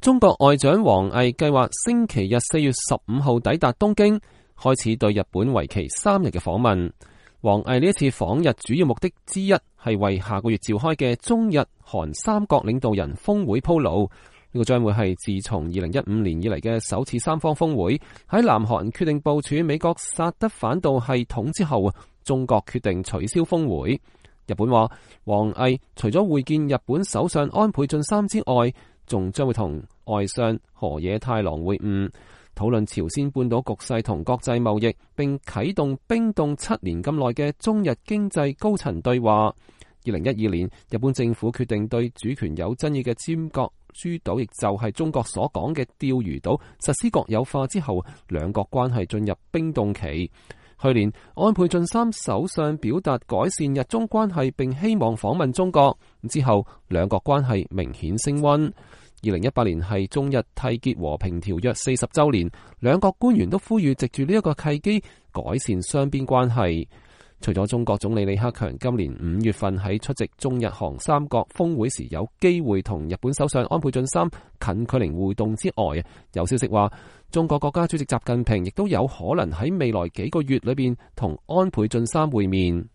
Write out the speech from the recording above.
中國外長王毅計劃星期日4月15號抵達東京，開始對日本為期3日嘅訪問。王毅呢一次訪日主要目的之一係為下個月召開嘅中日韓三國領導人峰會鋪路。呢個將會係自從2015年以嚟嘅首次三方峰會。喺南韓決定部署美國薩德反導系統之後，中國決定取消峰會。日本話，王毅除咗會見日本首相安倍晉三之外，仲將會同外相河野太郎會晤，討論朝鮮半島局勢同國際貿易，並啟動冰凍7年咁耐嘅中日經濟高層對話。2012年，日本政府決定對主權有爭議嘅尖閣諸島，亦就係中國所講嘅釣魚島，實施國有化之後，兩國關係進入冰凍期。去年，安倍晉三首相表達改善日中關係，並希望訪問中國。之後，兩國關係明顯升溫。2018年係中日締結和平條約40週年，兩國官員都呼籲藉住呢一個契機改善雙邊關係。除咗中國總理李克強今年5月份喺出席中日韓三國峰會時有機會同日本首相安倍晉三近距離互動之外，有消息話中國國家主席習近平亦都有可能喺未來幾個月裏邊同安倍晉三會面。